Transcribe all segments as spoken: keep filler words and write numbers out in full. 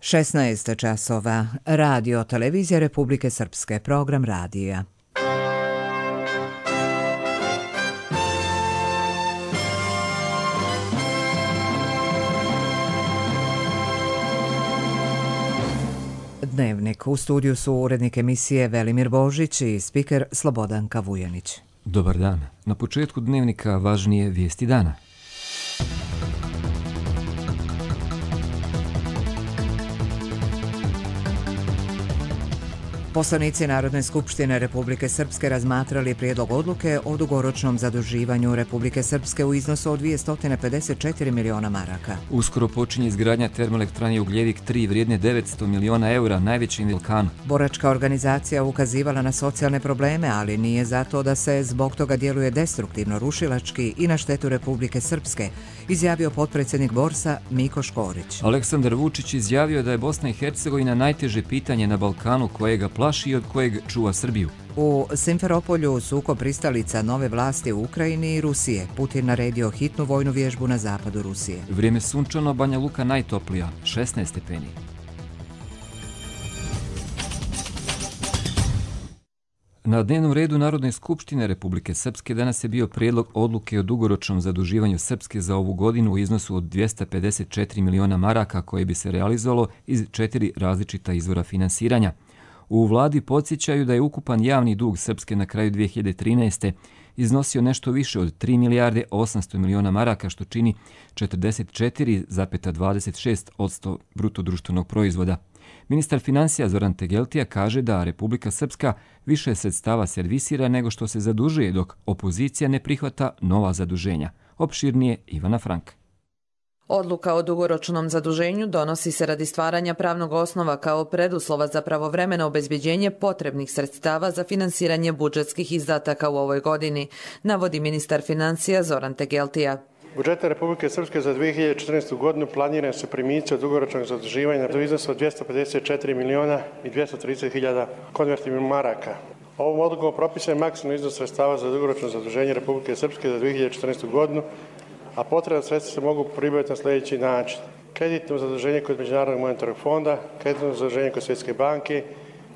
šesnaest časova. Radio Televizija Republike Srpske. Program radija. Dnevnik. U studiju su urednik emisije Velimir Božić i spiker Slobodanka Vujanić. Dobar dan. Na početku dnevnika važnije vijesti dana. Poslanici Narodne skupštine Republike Srpske razmatrali prijedlog odluke o dugoročnom zaduživanju Republike Srpske u iznosu od dvjesto pedeset četiri miliona maraka. Uskoro počinje izgradnja termoelektrane Ugljevik tri vrijedne devetsto miliona eura, najveći na Balkanu. Boračka organizacija ukazivala na socijalne probleme, ali nije zato da se zbog toga djeluje destruktivno, rušilački i na štetu Republike Srpske, izjavio potpredsjednik Borsa Miko Škorić. Aleksandar Vučić izjavio da je Bosna i Hercegovina najteže pitanje na Balkanu kojega plaši i od kojeg čuva Srbiju. U Simferopolju sukob pristalica nove vlasti u Ukrajini i Rusije. Putin naredio hitnu vojnu vježbu na zapadu Rusije. Vrijeme sunčano, Banja Luka najtoplija, šesnaest stepeni. Na dnevnom redu Narodne skupštine Republike Srpske danas je bio prijedlog odluke o dugoročnom zaduživanju Srpske za ovu godinu u iznosu od dvjesto pedeset četiri miliona maraka koje bi se realizovalo iz četiri različita izvora finansiranja. U vladi podsjećaju da je ukupan javni dug Srpske na kraju dvije hiljade trinaeste. iznosio nešto više od tri milijarde osamsto miliona maraka, što čini četrdeset četiri zarez dvadeset šest posto bruto društvenog proizvoda. Ministar financija Zoran Tegeltija kaže da Republika Srpska više sredstava servisira nego što se zadužuje, dok opozicija ne prihvata nova zaduženja. Opširnije Ivana Frank. Odluka o dugoročnom zaduženju donosi se radi stvaranja pravnog osnova kao preduslova za pravovremeno obezbeđenje potrebnih sredstava za finansiranje budžetskih izdataka u ovoj godini, navodi ministar financija Zoran Tegeltija. Budžeta Republike Srpske za dvije hiljade četrnaestu. godinu planiraju se primici od dugoročnog zaduživanja do iznosa od dvjesto pedeset četiri miliona i dvjesto trideset hiljada konvertibilnih maraka. Ovom odlukom propisan je maksimalni iznos sredstava za dugoročno zaduženje Republike Srpske za dvije hiljade četrnaestu. godinu, a potrebna sredstva se mogu pribaviti na sljedeći način. Kreditno zaduženje kod Međunarodnog monetarnog fonda, kreditno zaduženje kod Svjetske banke,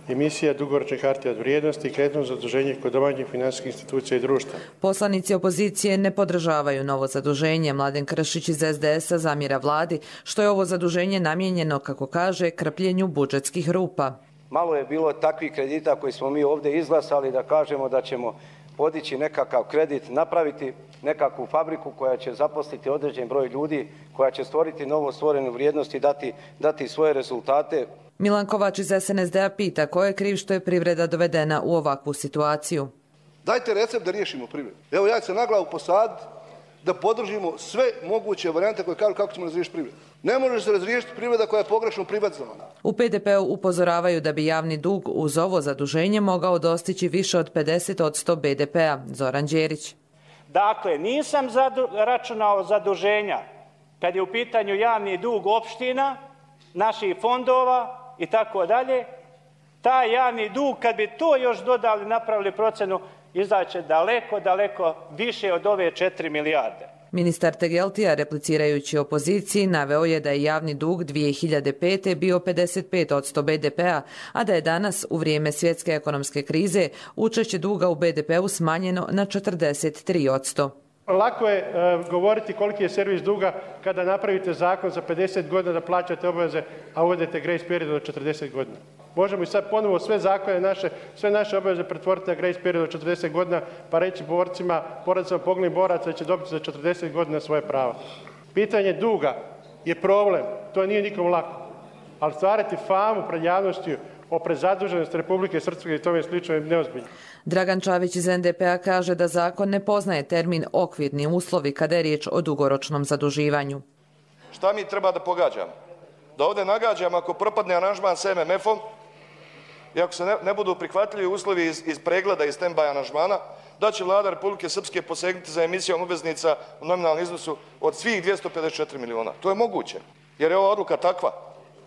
emisija dugoročnih hartija od vrijednosti i kreditno zaduženje kod domaćih finansijskih institucija i društva. Poslanici opozicije ne podržavaju novo zaduženje. Mladen Kršić iz es de esa zamjera vladi što je ovo zaduženje namijenjeno, kako kaže, krpljenju budžetskih rupa. Malo je bilo takvih kredita koji smo mi ovdje izglasali da kažemo da ćemo podići nekakav kredit, napraviti nekakvu fabriku koja će zaposliti određen broj ljudi, koja će stvoriti novo stvorenu vrijednost i dati, dati svoje rezultate. Milan Kovač iz es en es de a pita ko je kriv što je privreda dovedena u ovakvu situaciju. Dajte recept da riješimo privredu. Evo ja ću se na glavu posaditi da podržimo sve moguće varijante koje kažu kako ćemo razriješiti privredu. Ne može se razriješiti privreda koja je pogrešno privatizovana. U pe de pe-u upozoravaju da bi javni dug uz ovo zaduženje mogao dostići više od pedeset posto be de pe-a. Zoran Đerić. Dakle, nisam zadu, računao zaduženja kad je u pitanju javni dug opština, naših fondova i tako dalje. Taj javni dug, kad bi to još dodali, napravili procenu, izaće daleko, daleko više od ove četiri milijarde. Ministar Tegeltija, replicirajući opoziciji, naveo je da je javni dug dvije hiljade pete. bio pedeset pet posto be de pe-a, a da je danas, u vrijeme svjetske ekonomske krize, učešće duga u be de pe-u smanjeno na četrdeset tri posto. Lako je uh, govoriti koliki je servis duga kada napravite zakon za pedeset godina da plaćate obaveze, a uvedete grace period od četrdeset godina. Možemo i sad ponovo sve zakone naše, sve naše obaveze pretvoriti na grace period od četrdeset godina, pa reći borcima, porodicama poginulih boraca da će dobiti za četrdeset godina svoje prava. Pitanje duga je problem, to nije nikom lako, ali stvarati famu pred javnošću o prezaduženosti Republike Srpske i tome slično je neozbiljno. Dragan Čavić iz en de pe-a kaže da zakon ne poznaje termin okvirni uslovi kada je riječ o dugoročnom zaduživanju. Šta mi treba da pogađamo? Da ovdje nagađamo ako propadne aranžman s em em efom i ako se ne, ne budu prihvatljivi uslovi iz, iz pregleda i stand-by aranžmana, da će vlada Republike Srpske posegnuti za emisijom obveznica u nominalnom iznosu od svih dvjesto pedeset četiri miliona. To je moguće, jer je ova odluka takva.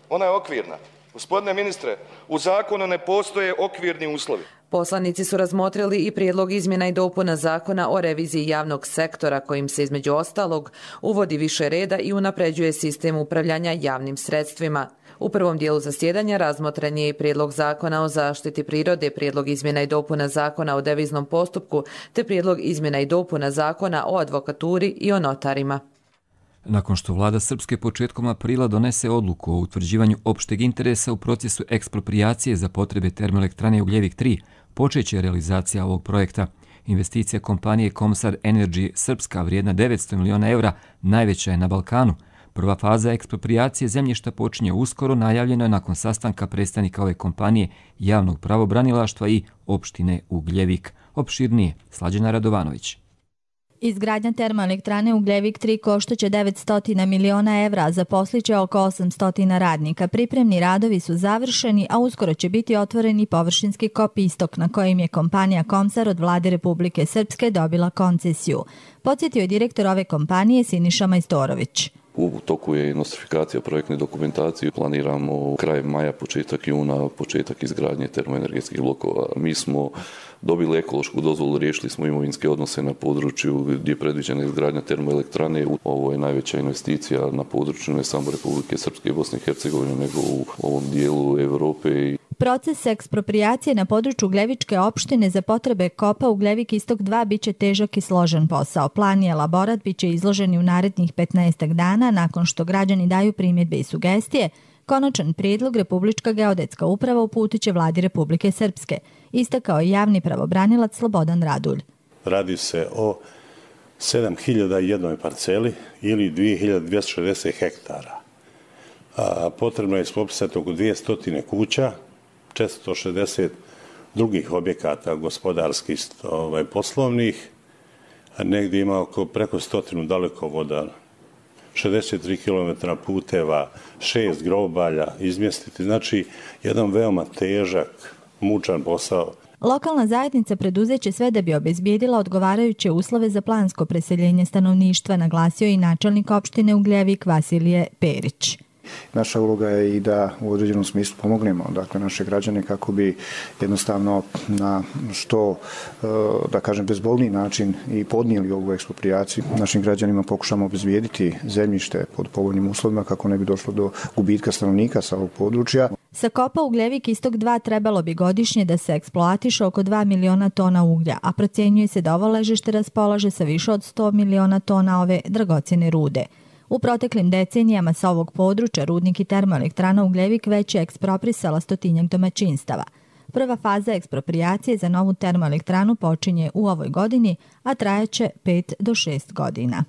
Ona je okvirna. Gospodine ministre, u zakonu ne postoje okvirni uslovi. Poslanici su razmotrili i prijedlog izmjena i dopuna zakona o reviziji javnog sektora, kojim se između ostalog uvodi više reda i unapređuje sistem upravljanja javnim sredstvima. U prvom dijelu zasjedanja razmotren je i prijedlog zakona o zaštiti prirode, prijedlog izmjena i dopuna zakona o deviznom postupku, te prijedlog izmjena i dopuna zakona o advokaturi i o notarima. Nakon što vlada Srpske početkom aprila donese odluku o utvrđivanju opšteg interesa u procesu eksproprijacije za potrebe termoelektrane Ugljevik tri, počeće realizacija ovog projekta. Investicija kompanije Komsar Energy Srpska vrijedna devetsto miliona evra najveća je na Balkanu. Prva faza eksproprijacije zemljišta počinje uskoro, najavljeno je nakon sastanka predstavnika ove kompanije, javnog pravobranilaštva i opštine Ugljevik. Opširnije, Slađana Radovanović. Izgradnja termoelektrane Ugljevik tri koštaće devetsto miliona evra, zaposliće oko osamsto radnika. Pripremni radovi su završeni, a uskoro će biti otvoreni površinski kop Istok, na kojim je kompanija Komsar od vlade Republike Srpske dobila koncesiju. Podsjetio je direktor ove kompanije Siniša Majstorović. U toku je nostrifikacija projektne dokumentacije. Planiramo kraj maja, početak juna, početak izgradnje termoenergetskih blokova. Mi smo dobili ekološku dozvolu, riješili smo imovinske odnose na području gdje je predviđena izgradnja termoelektrane. Ovo je najveća investicija na području ne samo Republike Srpske i Bosne i Hercegovine, nego u ovom dijelu Europe. Proces eksproprijacije na području Ugljevičke opštine za potrebe kopa Ugljevik Istok dva biće težak i složen posao. Plan i elaborat biće izloženi u narednih petnaestak dana nakon što građani daju primjedbe i sugestije. Konačan prijedlog Republička geodetska uprava uputiće vladi Republike Srpske, istakao je javni pravobranilac Slobodan Radulj. Radi se o sedam hiljada jedne parceli ili dvije hiljade dvjesto šezdeset hektara. A, potrebno je ispopisati oko dvjesto kuća, četiristo šezdeset drugih objekata gospodarskih, ovaj, poslovnih, a negdje ima oko preko stotinu dalekovoda, šezdeset tri kilometra puteva, šest grobalja izmjestiti. Znači, jedan veoma težak, mučan posao. Lokalna zajednica preduzeće sve da bi obezbijedila odgovarajuće uslove za plansko preseljenje stanovništva, naglasio i načelnik opštine Ugljevik Vasilije Perić. Naša uloga je i da u određenom smislu pomognemo, dakle, naše građane kako bi jednostavno na što, da kažem, bezbolniji način i podnijeli ovu eksproprijaciju. Našim građanima pokušamo obezbijediti zemljište pod povoljnim uslovima kako ne bi došlo do gubitka stanovnika sa ovog područja. Sa kopa Ugljevik Istok dva trebalo bi godišnje da se eksploatiše oko dva miliona tona uglja, a procjenjuje se da ovo ležište raspolaže sa više od sto miliona tona ove dragocjene rude. U proteklim decenijama sa ovog područja rudnik i termoelektrana Ugljevik već je eksproprisala stotinjak domaćinstava. Prva faza eksproprijacije za novu termoelektranu počinje u ovoj godini, a trajaće pet do šest godina.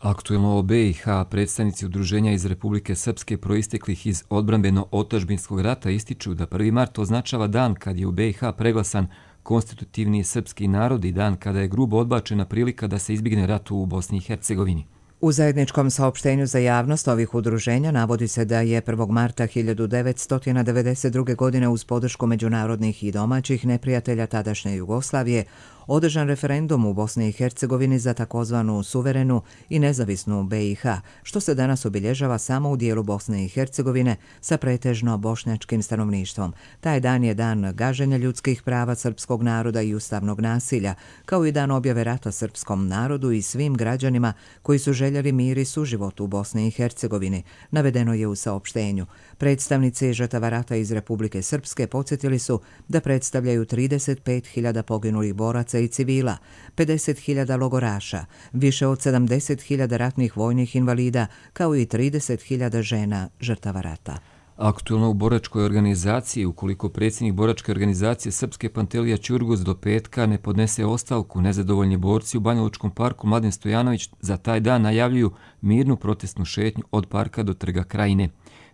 Aktuelno o B i H predstavnici udruženja iz Republike Srpske proisteklih iz odbrambeno-otadžbinskog rata ističu da prvi mart označava dan kad je u B i H preglasan konstitutivni srpski narod i dan kada je grubo odbačena prilika da se izbjegne rat u Bosni i Hercegovini. U zajedničkom saopštenju za javnost ovih udruženja navodi se da je prvog marta hiljadu devetsto devedeset druge. godine uz podršku međunarodnih i domaćih neprijatelja tadašnje Jugoslavije održan referendum u Bosni i Hercegovini za takozvanu suverenu i nezavisnu B i H, što se danas obilježava samo u dijelu Bosne i Hercegovine sa pretežno bošnjačkim stanovništvom. Taj dan je dan gaženja ljudskih prava srpskog naroda i ustavnog nasilja, kao i dan objave rata srpskom narodu i svim građanima koji su željeli mir i suživot u Bosni i Hercegovini, navedeno je u saopštenju. Predstavnici žrtava rata iz Republike Srpske podsjetili su da predstavljaju trideset pet hiljada poginulih boraca i civila, pedeset hiljada logoraša, više od sedamdeset hiljada ratnih vojnih invalida, kao i trideset hiljada žena žrtava rata. Aktuelno u boračkoj organizaciji, ukoliko predsjednik boračke organizacije Srpske Pantelija Ćurgus do petka ne podnese ostavku, nezadovoljni borci u Banjalučkom parku Mladen Stojanović za taj dan najavljuju mirnu protestnu šetnju od parka do Trga Krajine.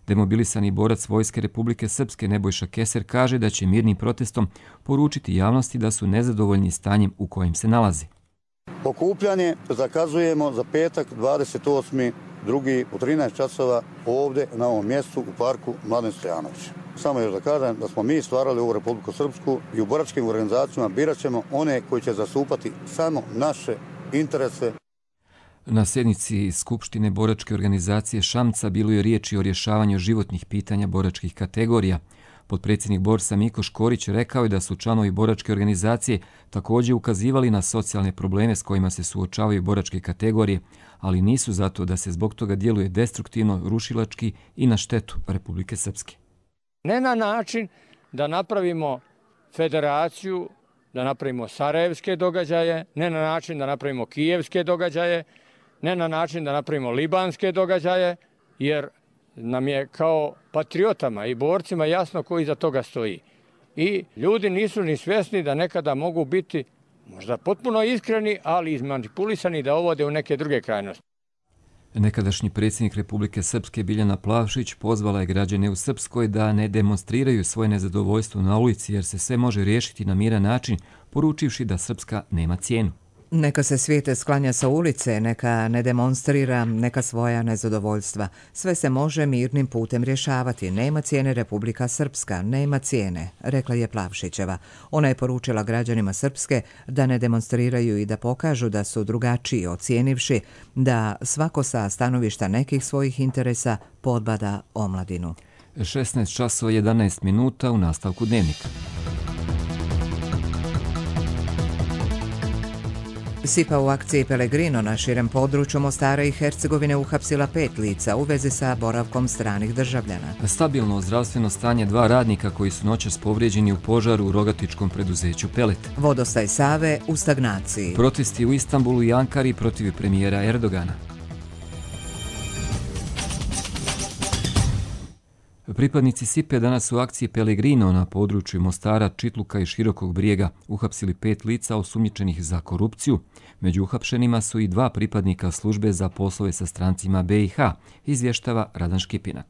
Demobilisani borac Vojske Republike Srpske Nebojša Keser kaže da će mirnim protestom poručiti javnosti da su nezadovoljni stanjem u kojem se nalazi. Okupljanje zakazujemo za petak dvadeset osmi drugi u trinaest časova ovdje na ovom mjestu u parku Mladen Stojanović. Samo još da kažem da smo mi stvarali ovu Republiku Srpsku i u boračkim organizacijama birat ćemo one koji će zastupati samo naše interese. Na sjednici Skupštine boračke organizacije Šamca bilo je riječi o rješavanju životnih pitanja boračkih kategorija. Potpredsjednik Borsa Miko Škorić rekao je da su članovi boračke organizacije također ukazivali na socijalne probleme s kojima se suočavaju boračke kategorije, ali nisu zato da se zbog toga djeluje destruktivno, rušilački i na štetu Republike Srpske. Ne na način da napravimo federaciju, da napravimo sarajevske događaje, ne na način da napravimo kijevske događaje, ne na način da napravimo libanske događaje, jer nam je kao patriotama i borcima jasno ko iza toga stoji. I ljudi nisu ni svjesni da nekada mogu biti možda potpuno iskreni, ali izmanipulisani da ovode u neke druge krajnosti. Nekadašnji predsjednik Republike Srpske Biljana Plavšić pozvala je građane u Srpskoj da ne demonstriraju svoje nezadovoljstvo na ulici jer se sve može riješiti na miran način, poručivši da Srpska nema cijenu. Neka se svijet sklanja sa ulice, neka ne demonstrira neka svoja nezadovoljstva. Sve se može mirnim putem rješavati. Nema cijene Republika Srpska, nema cijene, rekla je Plavšićeva. Ona je poručila građanima Srpske da ne demonstriraju i da pokažu da su drugačiji, ocijenivši da svako sa stanovišta nekih svojih interesa podbada omladinu. šesnaest časova jedanaest minuta u nastavku dnevnika. S I P A u akciji Pellegrino na širem području Mostara i Hercegovine uhapsila pet lica u vezi sa boravkom stranih državljana. Stabilno zdravstveno stanje dva radnika koji su noćas povrijeđeni u požaru u rogatičkom preduzeću Pelet. Vodostaj Save u stagnaciji. Protesti u Istanbulu i Ankari protiv premijera Erdogana. Pripadnici S I P E danas u akciji Pellegrino na području Mostara, Čitluka i Širokog Brijega uhapsili pet lica osumnjičenih za korupciju. Među uhapšenima su i dva pripadnika službe za poslove sa strancima B i H, izvještava Radan Škipina.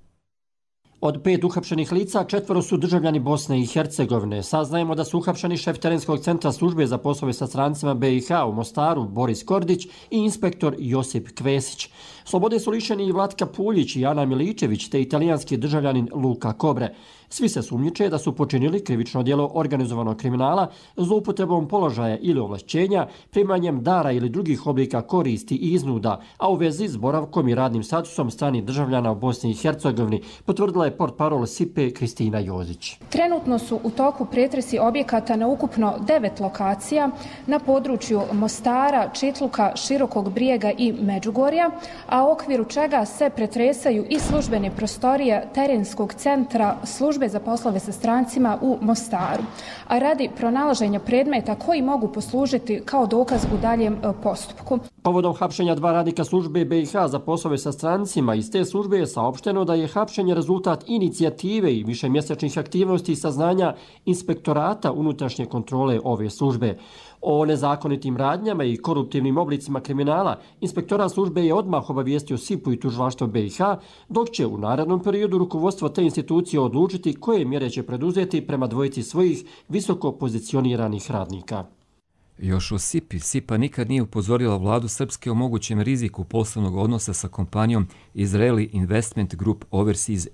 Od pet uhapšenih lica, četvoro su državljani Bosne i Hercegovine. Saznajemo da su uhapšeni šef terenskog centra službe za poslove sa strancima B i H u Mostaru, Boris Kordić, i inspektor Josip Kvesić. Slobode su lišeni i Vlatka Puljić i Ana Miličević, te italijanski državljanin Luka Kobre. Svi se sumnjiče da su počinili krivično djelo organizovanog kriminala zloupotrebom položaja ili ovlašćenja, primanjem dara ili drugih oblika koristi i iznuda, a u vezi s boravkom i radnim statusom stranih državljana u Bosni i Hercegovini, potvrdila je portparol S I P E Kristina Jozić. Trenutno su u toku pretresi objekata na ukupno devet lokacija na području Mostara, Čitluka, Širokog Brijega i Međugorja, a u okviru čega se pretresaju i službene prostorije terenskog centra službe za poslove sa strancima u Mostaru, a radi pronalaženja predmeta koji mogu poslužiti kao dokaz u daljem postupku. Povodom hapšenja dva radnika službe B i H za poslove sa strancima iz te službe je saopšteno da je hapšenje rezultat inicijative i višemjesečnih aktivnosti i saznanja inspektorata unutrašnje kontrole ove službe. O nezakonitim radnjama i koruptivnim oblicima kriminala inspektorat službe je odmah obavijestio S I P U i tužilaštvo B i H, dok će u narednom periodu rukovodstvo te institucije odlučiti koje mjere će preduzeti prema dvojici svojih visoko pozicioniranih radnika. Još o S I P I, S I P A nikad nije upozorila vladu Srpske o mogućem riziku poslovnog odnosa sa kompanijom Israeli Investment Group Overseas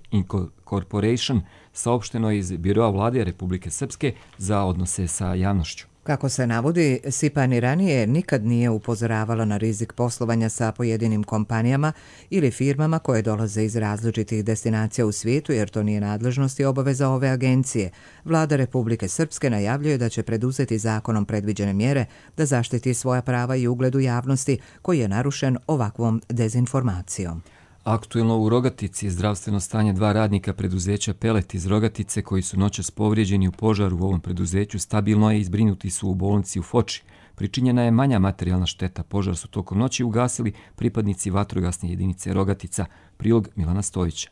Corporation, saopšteno iz Biroa vlade Republike Srpske za odnose sa javnošću. Kako se navodi, S I P A ni ranije nikad nije upozoravala na rizik poslovanja sa pojedinim kompanijama ili firmama koje dolaze iz različitih destinacija u svijetu, jer to nije nadležnost i obaveza ove agencije. Vlada Republike Srpske najavljuje da će preduzeti zakonom predviđene mjere da zaštiti svoja prava i ugled u javnosti koji je narušen ovakvom dezinformacijom. Aktuelno u Rogatici zdravstveno stanje dva radnika preduzeća Pelet iz Rogatice koji su noćas povrijeđeni u požaru u ovom preduzeću stabilno je i zbrinuti su u bolnici u Foči. Pričinjena je manja materijalna šteta. Požar su tokom noći ugasili pripadnici vatrogasne jedinice Rogatica. Prilog Milana Stojića.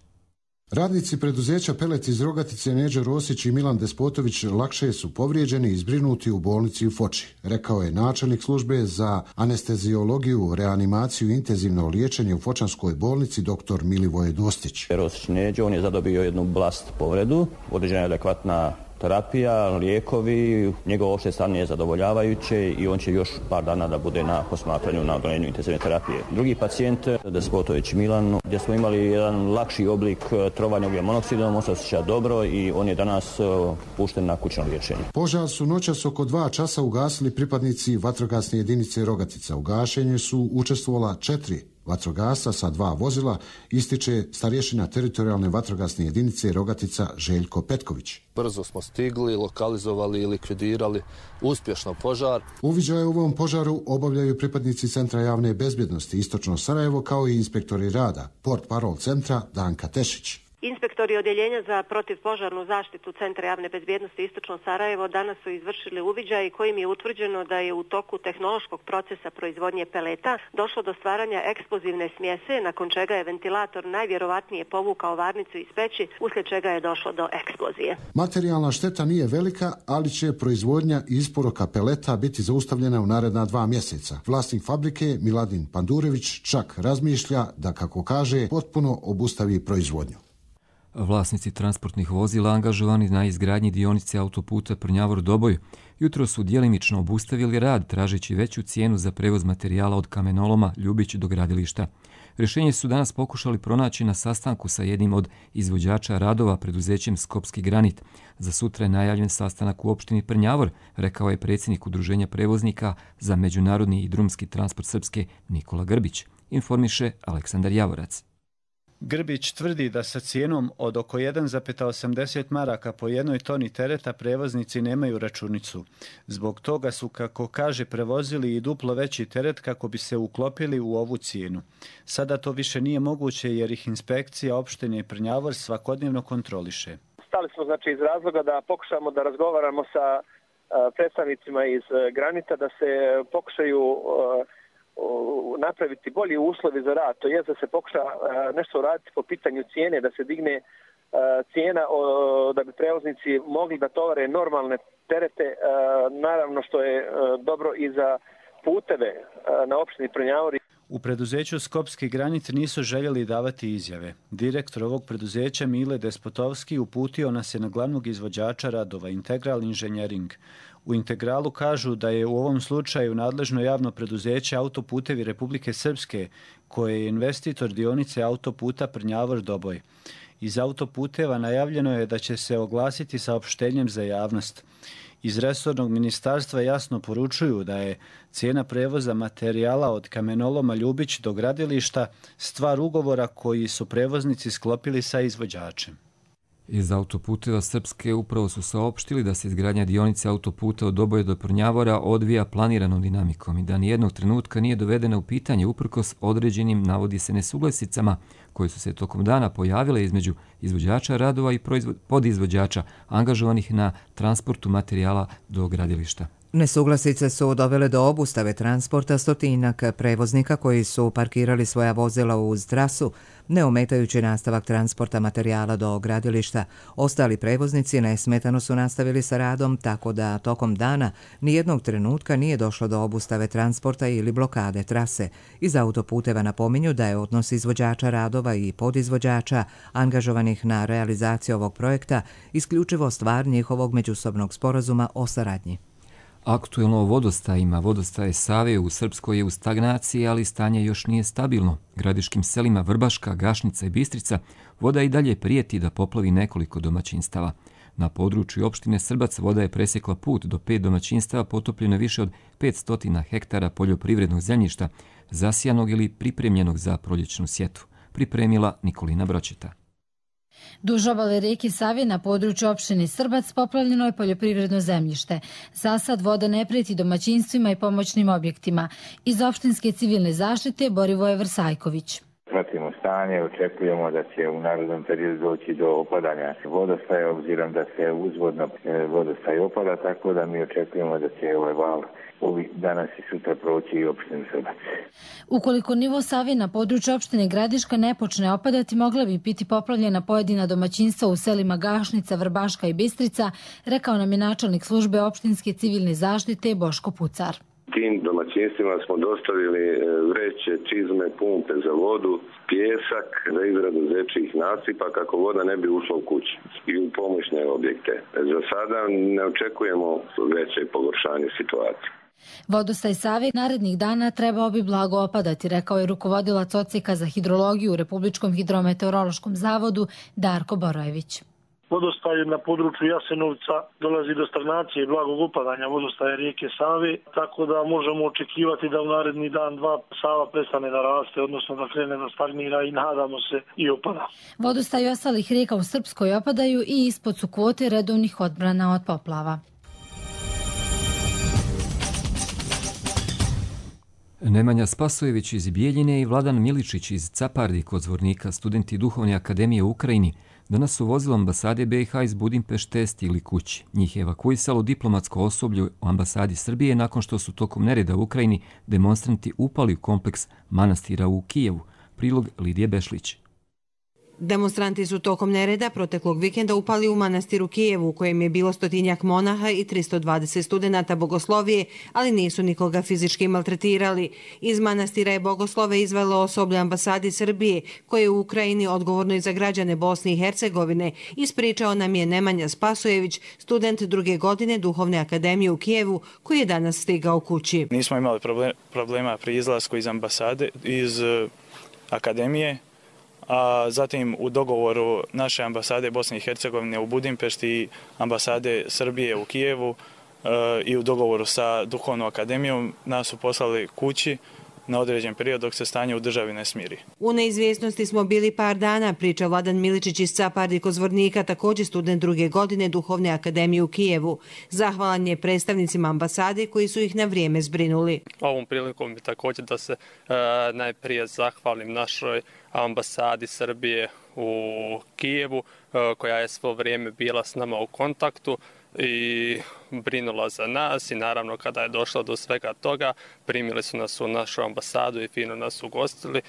Radnici preduzeća Pelet iz Rogatice Neđo Rosić i Milan Despotović lakše su povrijeđeni i zbrinuti u bolnici u Foči, rekao je načelnik službe za anesteziologiju, reanimaciju i intenzivno liječenje u Fočanskoj bolnici dr. Milivoje Dostić. Rosić Neđo, on je zadobio jednu blast povredu, određena je adekvatna terapija, lijekovi, njegovo opšte stanje je zadovoljavajuće i on će još par dana da bude na posmatranju na odolenju intenzivne terapije. Drugi pacijent, Despotović Milan, gdje smo imali jedan lakši oblik trovanja ugljen monoksidom, on se osjeća dobro i on je danas pušten na kućno liječenje. Požar su noćas oko dva časa ugasili pripadnici vatrogasne jedinice Rogatica. U gašenju su učestvovala četiri vatrogasca sa dva vozila, ističe starješina teritorijalne vatrogasne jedinice Rogatica Željko Petković. Brzo smo stigli, lokalizovali i likvidirali uspješno požar. Uviđaje u ovom požaru obavljaju pripadnici Centra javne bezbjednosti Istočno Sarajevo kao i inspektori rada, port parol centra Danka Tešić. Inspektori Odjeljenja za protivpožarnu zaštitu Centra javne bezbjednosti Istočno Sarajevo danas su izvršili uviđaj kojim je utvrđeno da je u toku tehnološkog procesa proizvodnje peleta došlo do stvaranja eksplozivne smjese, nakon čega je ventilator najvjerovatnije povukao varnicu iz peći, uslijed čega je došlo do eksplozije. Materijalna šteta nije velika, ali će proizvodnja i isporuka peleta biti zaustavljena u naredna dva mjeseca. Vlasnik fabrike Miladin Pandurević čak razmišlja da, kako kaže, potpuno obustavi proizvodnju. Vlasnici transportnih vozila angažovani na izgradnji dionice autoputa Prnjavor-Doboj jutro su djelimično obustavili rad tražeći veću cijenu za prevoz materijala od kamenoloma Ljubić do gradilišta. Rješenje su danas pokušali pronaći na sastanku sa jednim od izvođača radova preduzećem Skopski granit. Za sutra je najavljen sastanak u opštini Prnjavor, rekao je predsjednik Udruženja prevoznika za međunarodni i drumski transport Srpske Nikola Grbić, informiše Aleksandar Javorac. Grbić tvrdi da sa cijenom od oko jedan zarez osamdeset maraka po jednoj toni tereta prevoznici nemaju računicu. Zbog toga su, kako kaže, prevozili i duplo veći teret kako bi se uklopili u ovu cijenu. Sada to više nije moguće jer ih inspekcija opštine Prnjavor svakodnevno kontroliše. Stali smo znači iz razloga da pokušamo da razgovaramo sa predstavnicima iz Granita, da se pokušaju napraviti bolji uslovi za rad, to je da se pokuša nešto raditi po pitanju cijene, da se digne cijena da bi prevoznici mogli da tovare normalne terete, naravno što je dobro i za puteve na opštini Prnjavor. U preduzeću Skopski granit nisu željeli davati izjave. Direktor ovog preduzeća Mile Despotovski uputio nas je na glavnog izvođača radova Integral Inženjering. U Integralu kažu da je u ovom slučaju nadležno javno preduzeće Autoputevi Republike Srpske, koje je investitor dionice autoputa Prnjavor-Doboj. Iz autoputeva najavljeno je da će se oglasiti saopštenjem za javnost. Iz resornog ministarstva jasno poručuju da je cijena prevoza materijala od kamenoloma Ljubić do gradilišta stvar ugovora koji su prevoznici sklopili sa izvođačem. Iz autoputeva Srpske upravo su saopštili da se izgradnja dionice autoputa od Doboja do Prnjavora odvija planiranom dinamikom i da nijednog trenutka nije dovedena u pitanje uprkos određenim, navodi se, nesuglasicama koje su se tokom dana pojavile između izvođača radova i podizvođača angažovanih na transportu materijala do gradilišta. Nesuglasice su dovele do obustave transporta stotinak prevoznika koji su parkirali svoja vozila uz trasu, ne ometajući nastavak transporta materijala do gradilišta. Ostali prevoznici nesmetano su nastavili sa radom, tako da tokom dana nijednog trenutka nije došlo do obustave transporta ili blokade trase. Iz autoputeva napominju da je odnos izvođača radova i podizvođača angažovanih na realizaciju ovog projekta isključivo stvar njihovog međusobnog sporazuma o saradnji. Aktuelno o vodostajima. Vodostaje Save u Srpskoj je u stagnaciji, ali stanje još nije stabilno. Gradiškim selima Vrbaška, Gašnica i Bistrica voda i dalje prijeti da poplavi nekoliko domaćinstava. Na području opštine Srbac voda je presjekla put do pet domaćinstava, potopljeno više od petsto hektara poljoprivrednog zemljišta, zasijanog ili pripremljenog za proljećnu sjetvu. Pripremila Nikolina Bročeta. Duž obale rijeke Save na području opštine Srbac poplavljeno je poljoprivredno zemljište. Za sad voda ne prijeti domaćinstvima i pomoćnim objektima. Iz opštinske civilne zaštite Borivoje Vrsajković. Pratimo stanje, očekujemo da će u narednom periodu doći do opadanja vodostaja, obzirom da se uzvodno vodostaj opada, tako da mi očekujemo da će ovaj val ovih danas i sutra proći i opštinu Srbac. Ukoliko nivo Save na području opštine Gradiška ne počne opadati, mogla bi biti poplavljena pojedina domaćinstva u selima Gašnica, Vrbaška i Bistrica, rekao nam je načelnik službe opštinske civilne zaštite Boško Pucar. Tim domaćinstvima smo dostavili vreće, čizme, pumpe za vodu, pijesak za izradu zečijih nasipa kako voda ne bi ušla u kući i u pomoćne objekte. Za sada ne očekujemo veće pogoršanje situacije. Vodostaj Save narednih dana trebao bi blago opadati, rekao je rukovodilac odseka za hidrologiju u Republičkom hidrometeorološkom zavodu Darko Borojević. vodostaju na području Jasenovca dolazi do stagnacije i blagog opadanja vodostaja rijeke Save, tako da možemo očekivati da u naredni dan dva Sava prestane da raste, odnosno da krene da stagnira i nadamo se i opada. Vodostaji ostalih rijeka u Srpskoj opadaju i ispod su kvote redovnih odbrana od poplava. Nemanja Spasojević iz Bijeljine i Vladan Miličić iz Capardi kod Zvornika, studenti Duhovne akademije u Ukrajini, danas su vozilo ambasade B i H iz Budimpešte stigli kući. Njih je evakuisalo diplomatsko osoblje u ambasadi Srbije nakon što su tokom nereda u Ukrajini demonstranti upali u kompleks manastira u Kijevu. Prilog Lidije Bešlić. Demonstranti su tokom nereda proteklog vikenda upali u manastir u Kijevu, u kojem je bilo stotinjak monaha i tristo dvadeset studenata bogoslovije, ali nisu nikoga fizički maltretirali. Iz manastira je bogoslove izvelo osoblje ambasadi Srbije, koje je u Ukrajini odgovorno i za građane Bosne i Hercegovine, ispričao nam je Nemanja Spasojević, student druge godine Duhovne akademije u Kijevu, koji je danas stigao kući. Nismo imali problema pri izlasku iz ambasade, iz akademije, a zatim u dogovoru naše ambasade Bosne i Hercegovine u Budimpešti i ambasade Srbije u Kijevu i u dogovoru sa Duhovnom akademijom nas su poslali kući na određen period dok se stanje u državi ne smiri. U neizvjesnosti smo bili par dana, priča Vladan Miličić iz Capardi kod Zvornika, također student druge godine Duhovne akademije u Kijevu. Zahvalan je predstavnicima ambasade koji su ih na vrijeme zbrinuli. Ovom prilikom bi također da se e, najprije zahvalim našoj ambasadi Srbije u Kijevu, e, koja je svo vrijeme bila s nama u kontaktu i brinula za nas i naravno kada je došlo do svega toga primili su nas u našu ambasadu i fino nas ugostili. E,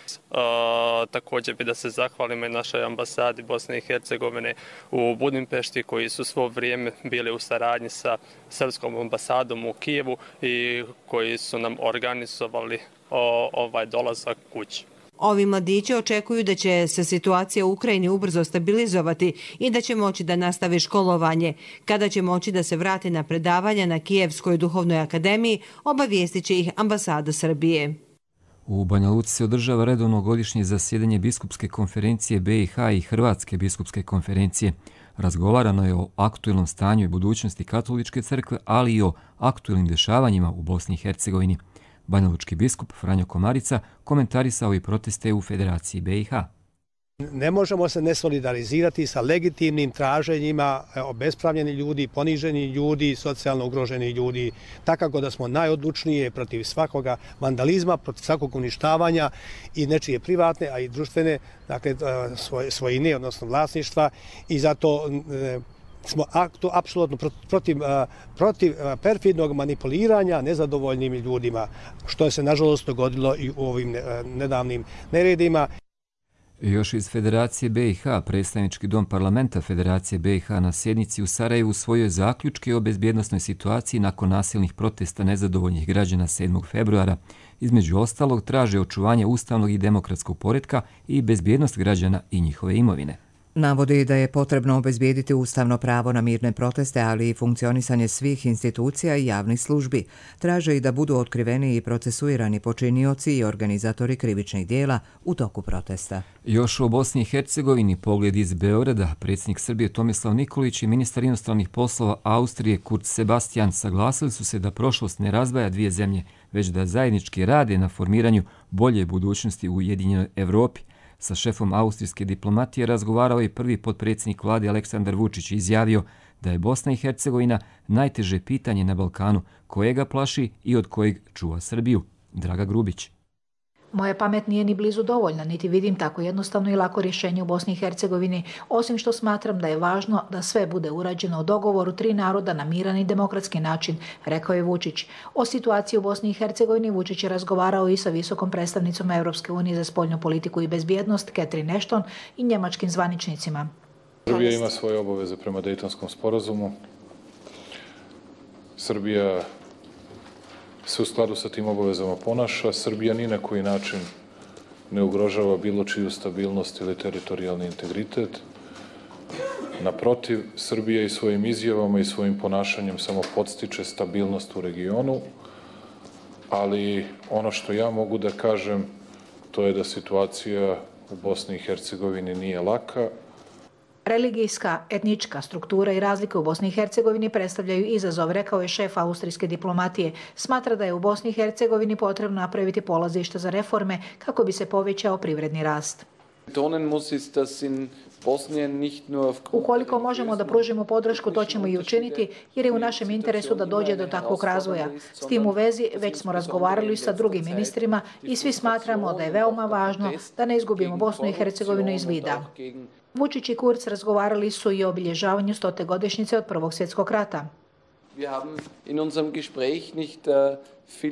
također bi da se zahvalimo i našoj ambasadi Bosne i Hercegovine u Budimpešti koji su svo vrijeme bili u saradnji sa srpskom ambasadom u Kijevu i koji su nam organizovali o, ovaj dolazak kući. Ovi mladići očekuju da će se situacija u Ukrajini ubrzo stabilizovati i da će moći da nastave školovanje. Kada će moći da se vrate na predavanja na Kijevskoj duhovnoj akademiji, obavijestit će ih ambasada Srbije. U Banja Luci se održava redovno godišnje zasjedanje biskupske konferencije B i H i Hrvatske biskupske konferencije. Razgovarano je o aktuelnom stanju i budućnosti katoličke crkve, ali i o aktuelnim dešavanjima u Bosni i Hercegovini. Banjalučki biskup Franjo Komarica komentarisao i proteste u Federaciji B i H. Ne možemo se ne solidarizirati sa legitimnim traženjima obespravljenih ljudi, poniženih ljudi, socijalno ugroženih ljudi. Takako da smo najodlučnije protiv svakoga vandalizma, protiv svakog uništavanja i nečije privatne, a i društvene, dakle, svojine, odnosno vlasništva, i zato smo apsolutno protiv, protiv perfidnog manipuliranja nezadovoljnim ljudima, što je se nažalost dogodilo i u ovim nedavnim neredima. Još iz Federacije B i H, predstavnički dom parlamenta Federacije B i H na sjednici u Sarajevu usvojio zaključke o bezbjednosnoj situaciji nakon nasilnih protesta nezadovoljnih građana sedmog februara. Između ostalog traže očuvanje ustavnog i demokratskog poretka i bezbjednost građana i njihove imovine. Navodi da je potrebno obezbijediti ustavno pravo na mirne proteste, ali i funkcionisanje svih institucija i javnih službi. Traže i da budu otkriveni i procesuirani počinioci i organizatori krivičnih dijela u toku protesta. Još u Bosni i Hercegovini pogled iz Beograda, predsjednik Srbije Tomislav Nikolić i ministar inostranih poslova Austrije Kurt Sebastian saglasili su se da prošlost ne razdvaja dvije zemlje, već da zajednički rade na formiranju bolje budućnosti u Ujedinjenoj Evropi. Sa šefom austrijske diplomatije razgovarao i prvi potpredsjednik vlade Aleksandar Vučić i izjavio da je Bosna i Hercegovina najteže pitanje na Balkanu, kojega plaši i od kojeg čuva Srbiju. Draga Grubić. Moja pamet nije ni blizu dovoljna, niti vidim tako jednostavno i lako rješenje u Bosni i Hercegovini, osim što smatram da je važno da sve bude urađeno u dogovoru tri naroda na miran i demokratski način, rekao je Vučić. O situaciji u Bosni i Hercegovini Vučić je razgovarao i sa visokom predstavnicom Europske unije za spoljnu politiku i bezbjednost, Catherine Ashton, i njemačkim zvaničnicima. Srbija ima svoje obaveze prema Dejtonskom sporazumu. Srbija se u skladu sa tim obavezama ponaša. Srbija ni na koji način ne ugrožava bilo čiju stabilnost ili teritorijalni integritet. Naprotiv, Srbija i svojim izjavama i svojim ponašanjem samo podstiče stabilnost u regionu, ali ono što ja mogu da kažem, to je da situacija u Bosni i Hercegovini nije laka. Religijska, etnička struktura i razlike u Bosni i Hercegovini predstavljaju izazov, rekao je šef austrijske diplomatije. Smatra da je u Bosni i Hercegovini potrebno napraviti polazište za reforme kako bi se povećao privredni rast. Ukoliko možemo da pružimo podršku, to ćemo i učiniti, jer je u našem interesu da dođe do takvog razvoja. S tim u vezi već smo razgovarali sa drugim ministrima i svi smatramo da je veoma važno da ne izgubimo Bosnu i Hercegovinu iz vida. Vučić i Kurz razgovarali su i o obilježavanju stote godišnjice od Prvog svjetskog rata.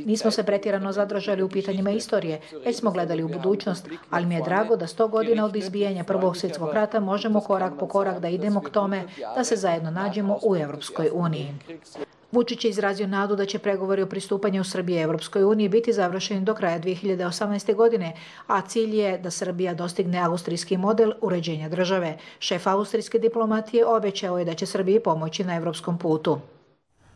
Nismo se pretjerano zadržali u pitanjima istorije, već smo gledali u budućnost, ali mi je drago da sto godina od izbijanja Prvog svjetskog rata možemo korak po korak da idemo k tome da se zajedno nađemo u Europskoj uniji. Vučić je izrazio nadu da će pregovori o pristupanju Srbije Europskoj uniji biti završeni do kraja dvije hiljade osamnaeste. godine, a cilj je da Srbija dostigne austrijski model uređenja države. Šef austrijske diplomatije obećao je da će Srbiji pomoći na evropskom putu.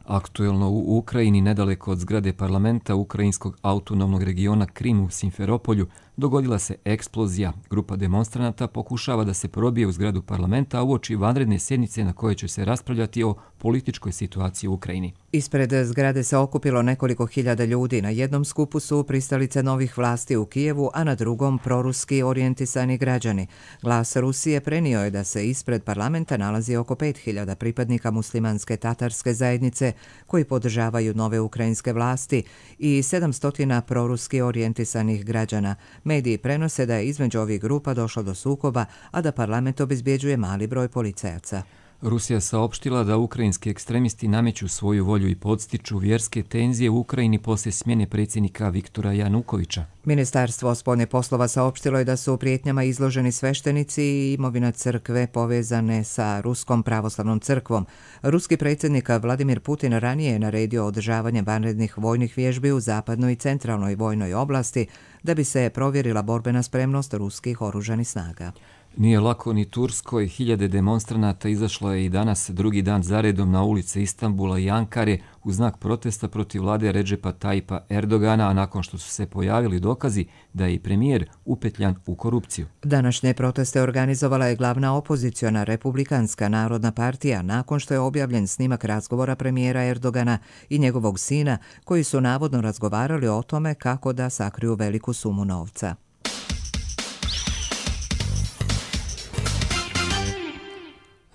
Aktuelno u Ukrajini, nedaleko od zgrade parlamenta Ukrajinskog autonomnog regiona Krim u Simferopolju, dogodila se eksplozija. Grupa demonstranata pokušava da se probije u zgradu parlamenta uoči vanredne sjednice na kojoj će se raspravljati o političkoj situaciji u Ukrajini. Ispred zgrade se okupilo nekoliko hiljada ljudi. Na jednom skupu su pristalice novih vlasti u Kijevu, a na drugom proruski orijentisani građani. Glas Rusije prenio je da se ispred parlamenta nalazi oko pet hiljada pripadnika muslimanske tatarske zajednice koji podržavaju nove ukrajinske vlasti i sedamsto proruski orijentisanih građana. Mediji prenose da je između ovih grupa došlo do sukoba, a da parlament obezbjeđuje mali broj policajaca. Rusija saopštila da ukrajinski ekstremisti nameću svoju volju i podstiču vjerske tenzije u Ukrajini poslije smjene predsjednika Viktora Janukovića. Ministarstvo spoljnih poslova saopštilo je da su prijetnjama izloženi sveštenici i imovina crkve povezane sa Ruskom pravoslavnom crkvom. Ruski predsjednik Vladimir Putin ranije je naredio održavanje vanrednih vojnih vježbi u zapadnoj i centralnoj vojnoj oblasti da bi se provjerila borbena spremnost ruskih oružanih snaga. Nije lako ni Turskoj. Hiljade demonstranata izašlo je i danas drugi dan zaredom na ulice Istanbula i Ankare u znak protesta protiv vlade Redžepa Tayyipa Erdogana, a nakon što su se pojavili dokazi da je i premijer upetljan u korupciju. Današnje proteste organizovala je glavna opoziciona Republikanska narodna partija nakon što je objavljen snimak razgovora premijera Erdogana i njegovog sina koji su navodno razgovarali o tome kako da sakriju veliku sumu novca.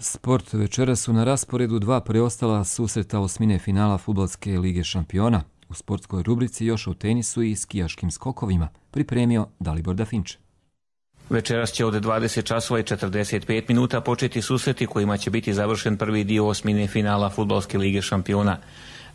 Sport. Večera su na rasporedu dva preostala susreta osmine finala Fudbalske lige šampiona. U sportskoj rubrici još o tenisu i skijaškim skokovima pripremio Dalibor Dafinče. Večeras će od dvadeset časova i četrdeset pet minuta početi susreti kojima će biti završen prvi dio osmine finala Fudbalske lige šampiona.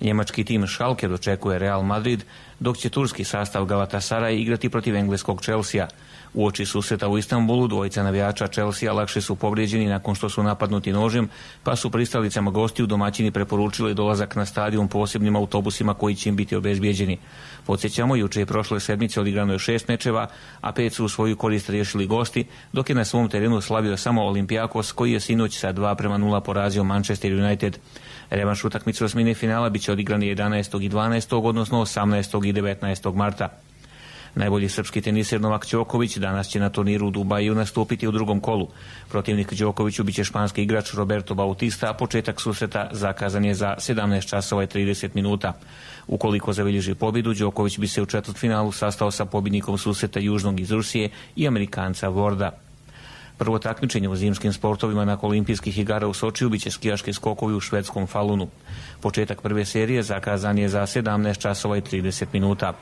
Njemački tim Schalke dočekuje Real Madrid, dok će turski sastav Galatasaray igrati protiv engleskog Chelsea. Uoči susreta u Istanbulu dvojica navijača Chelsea lakše su povrijeđeni nakon što su napadnuti nožem, pa su pristalicama gostiju domaćini preporučili dolazak na stadion posebnim autobusima koji će im biti obezbijeđeni. Podsjećamo, juče i prošle sedmice odigrano je šest mečeva, a pet su u svoju korist riješili gosti, dok je na svom terenu slavio samo Olympiakos koji je sinoć sa dva prema nula porazio Manchester United. Revanš utakmice osmine finala biće odigrani jedanaestog i dvanaestog odnosno osamnaestog i devetnaestog marta. Najbolji srpski teniser Novak Đoković danas će na turniru u Dubaju nastupiti u drugom kolu. Protivnik Đokoviću biće španski igrač Roberto Bautista, a početak susreta zakazan je za sedamnaest časova i trideset minuta. Ukoliko zabilježi pobjedu, Đoković bi se u četvrtfinalu sastao sa pobjednikom susreta Južnog iz Rusije i Amerikanca Vorda. Prvo takmičenje u zimskim sportovima nakon olimpijskih igara u Sočiju biće skijaški skokovi u švedskom Falunu. Početak prve serije zakazan je za sedamnaest časova i trideset minuta.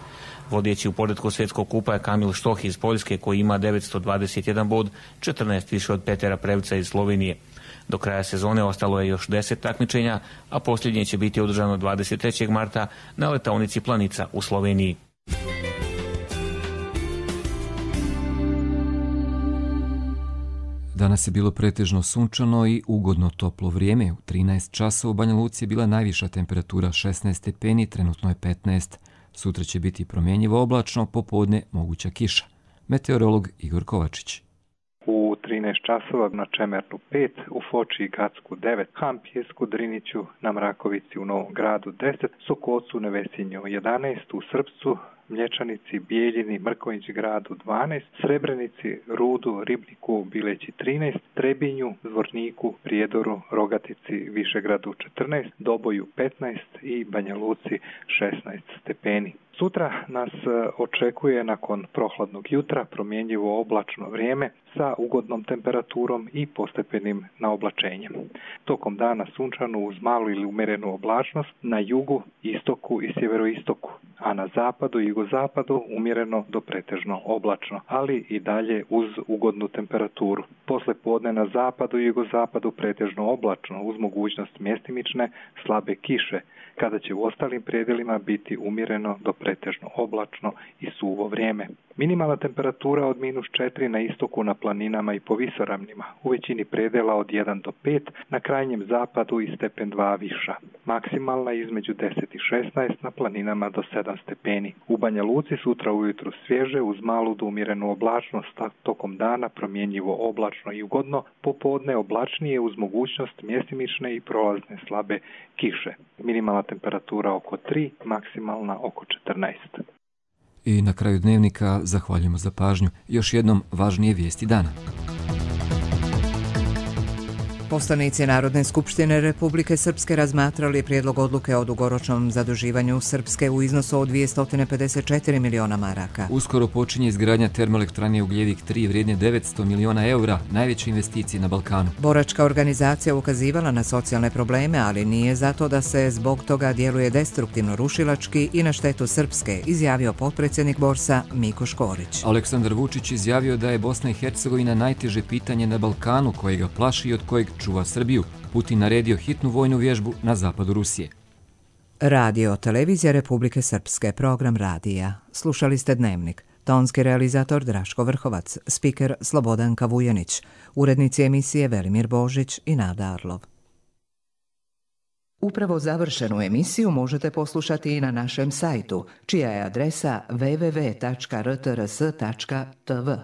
Vodeći u poretku svjetskog kupa je Kamil Štoh iz Poljske koji ima devetsto dvadeset jedan bod, četrnaest više od Petera Prevca iz Slovenije. Do kraja sezone ostalo je još deset takmičenja, a posljednje će biti održano dvadeset trećeg marta na letaonici Planica u Sloveniji. Danas je bilo pretežno sunčano i ugodno toplo vrijeme. U trinaest časova u Banja Luci je bila najviša temperatura šesnaest stepeni, trenutno je petnaest. Sutra će biti promjenjivo oblačno, popodne moguća kiša. Meteorolog Igor Kovačić. U u trinaest časova, na Čemernu pet, u Foči i Gacku devet, Hampjesku, Driniću, na Mrakovici u Novom Gradu deset, Sokocu, Nevesinju jedanaest, u Srpcu, Mlječanici, Bijeljini, Mrkonjić Gradu dvanaest, Srebrenici, Rudu, Ribniku, Bileći trinaest, Trebinju, Zvorniku, Prijedoru, Rogatici, Višegradu četrnaest, Doboju petnaest i Banja Luci šesnaest stepeni. Sutra nas očekuje nakon prohladnog jutra promjenjivo oblačno vrijeme sa ugodnom temperaturom i postepenim naoblačenjem. Tokom dana sunčano uz malu ili umjerenu oblačnost na jugu, istoku i sjeveroistoku, a na zapadu i jugozapadu umjereno do pretežno oblačno, ali i dalje uz ugodnu temperaturu. Posle podne na zapadu i jugozapadu pretežno oblačno uz mogućnost mjestimične slabe kiše, kada će u ostalim predjelima biti umjereno do pretežno oblačno i suvo vrijeme. Minimalna temperatura od minus četiri na istoku na planinama i po visoravnima, u većini predjela od jedan do pet, na krajnjem zapadu i stepen dva viša. Maksimalna između deset i šesnaest, na planinama do sedam stepeni. U Banja Luci sutra ujutru svježe uz malu do umjerenu oblačnost, a tokom dana promjenjivo oblačno i ugodno, popodne oblačnije uz mogućnost mjestimične i prolazne slabe kiše. Minimalna temperatura oko tri, maksimalna oko četrnaest. I na kraju dnevnika zahvaljujemo za pažnju. Još jednom važnije vijesti dana. Poslanici Narodne skupštine Republike Srpske razmatrali prijedlog odluke o dugoročnom zaduživanju Srpske u iznosu od dvjesto pedeset četiri miliona maraka. Uskoro počinje izgradnja termoelektrane Ugljevik tri vrijedne devetsto miliona eura, najveće investicije na Balkanu. Boračka organizacija ukazivala na socijalne probleme, ali nije zato da se zbog toga djeluje destruktivno rušilački i na štetu Srpske, izjavio potpredsjednik Borsa Miko Škorić. Aleksandar Vučić izjavio da je Bosna i Hercegovina najteže pitanje na Balkanu koje ga plaši i od kojeg čuva Srbiju. Putin naredio hitnu vojnu vježbu na zapadu Rusije. Radio Televizija Republike Srpske, program radija. Slušali ste Dnevnik. Tonski realizator Draško Vrhovac, spiker Slobodanka Vujanić, urednici emisije Velimir Božić i Nada Arlov. Upravo završenu emisiju možete poslušati i na našem sajtu, čija je adresa w w w tačka r t r s tačka t v.